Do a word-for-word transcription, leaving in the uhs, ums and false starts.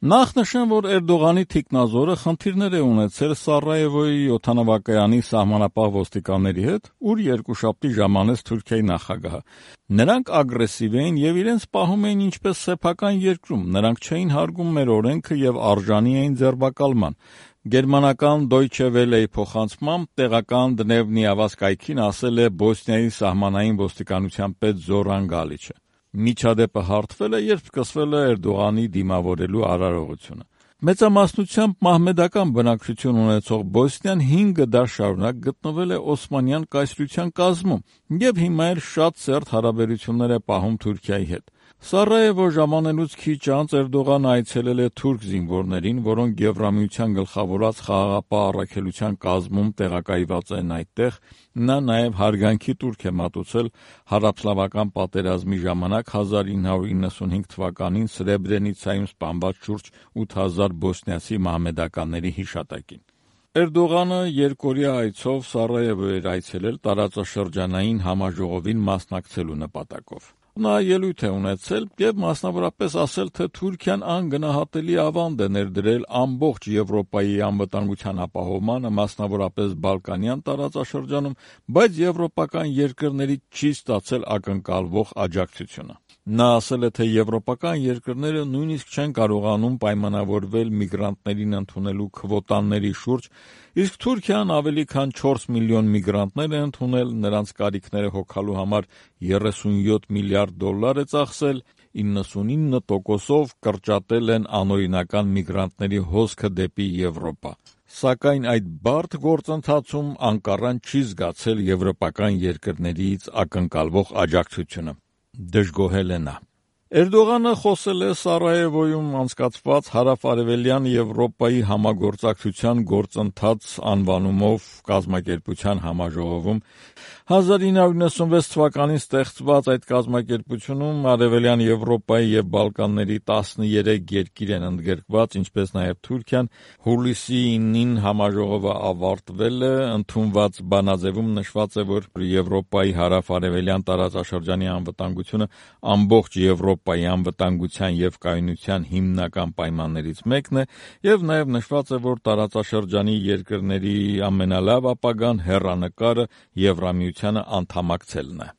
Նախ նշեմ, որ Էրդողանի թիկնազորը խնդիրներ է ունեցել Սարայևոյի օդանավակայանի սահմանապահ ոստիկանների հետ, ուր երկուշաբթի ժամանեց Թուրքիայի նախագահը։ Նրանք ագրեսիվ էին եւ իրենց պահում էին ինչպես սեփական երկրում, նրանք չէին հարգում մեր օրենքը եւ արժանի էին ձերբակալման։ Գերմանական Deutsche Welle-ի փոխանցմամբ տեղական Դնևնիավազ կայքին ասել է Բոսնիայի սահմանային ոստիկանության պետ Զորան Գալիչը։ Միջադեպը հարթվել է, երբ սկսվել է Էրդողանի դիմավորելու արարողությունը։ Մեծամասնությամբ մահմեդական բնակչություն ունեցող Բոսնիան հինգ դար շարունակ գտնվել է Օսմանյան կայսրության կազմում եւ հիմա էլ շատ սերտ հարաբերություններ է պահում Թուրքիայի հետ։ Սարայևո ժամանելուց քիչ անց Էրդողանը այցելել է թուրք զինվորներին, որոնք Եվրամիության գլխավորած խաղաղապահ առաքելության կազմում տեղակայված են այդտեղ։ Նա նաև հարգանքի տուրք է մատուցել հարաբսլավական պատերազմի ժամանակ հազար ինը հարյուր իննսունհինգ թվականին Սրեբրենիցայում սպանված շուրջ ութ հազար բոսնիացի մահմեդականների հիշատակին։ Էրդողանը երկօրյա այցով Սարայևո էր այցելել տարածաշրջանային համաժողովին մասնակցելու նպատակով։ Նա ելույթ է ունեցել եւ մասնավորապես ասել, թե Թուրքիան անգնահատելի ավանդ է ներդրել ամբողջ Եվրոպայի անվտանգության ապահովմանը, մասնավորապես Բալկանյան տարածաշրջանում, բայց եվրոպական երկրներից չի ստացել ակնկալվող աջակցությունը։ Նա ասել է, թե եվրոպական երկրները նույնիսկ չեն կարողանում պայմանավորվել միգրանտներին ընդունելու քվոտաների շուրջ, իսկ Թուրքիան ավելի քան չորս միլիոն միգրանտներ է ընդունել, նրանց կարիքները հոգալու համար երեսունյոթ միլիարդ դոլար է ծախսել, իննսունինը տոկոսով կրճատել են անօրինական միգրանտների հոսքը դեպի Եվրոպա։ Սակայն այդ բարդ գործընթացում Անկարան չի զգացել եվրոպական երկրներից ակնկալվող աջակցությունը, դժգոհել է նա։ Էրդողանը խոսել է Սարայևոյում անցկացված հարավ-արևելյան Եվրոպայի համագործակցության գործընթաց անվանումով կազմակերպության համաժողովում։ հազար ինը հարյուր իննսունվեց թվականին ստեղծված այդ կազմակերպությունում Արևելյան Եվրոպայի եւ Բալկանների տասներեք երկիր են ընդգրկված, ինչպես նաեւ Թուրքիան։ Հուլիսի ինին համաժողովը ավարտվել է, ընդունված բանաձևում նշված է, որ Եվրոպայի հարավ-արևելյան տարածաշրջանի անվտանգությունը ամբողջ Եվրոպայի անվտանգության եւ կայունության հիմնական պայմաններից մեկն է, եւ նաեւ նշված է, որ տարածաշրջանի երկրների ամենալավ ապագան հեռանկարը Եվրամիությանը անդամակցելն է։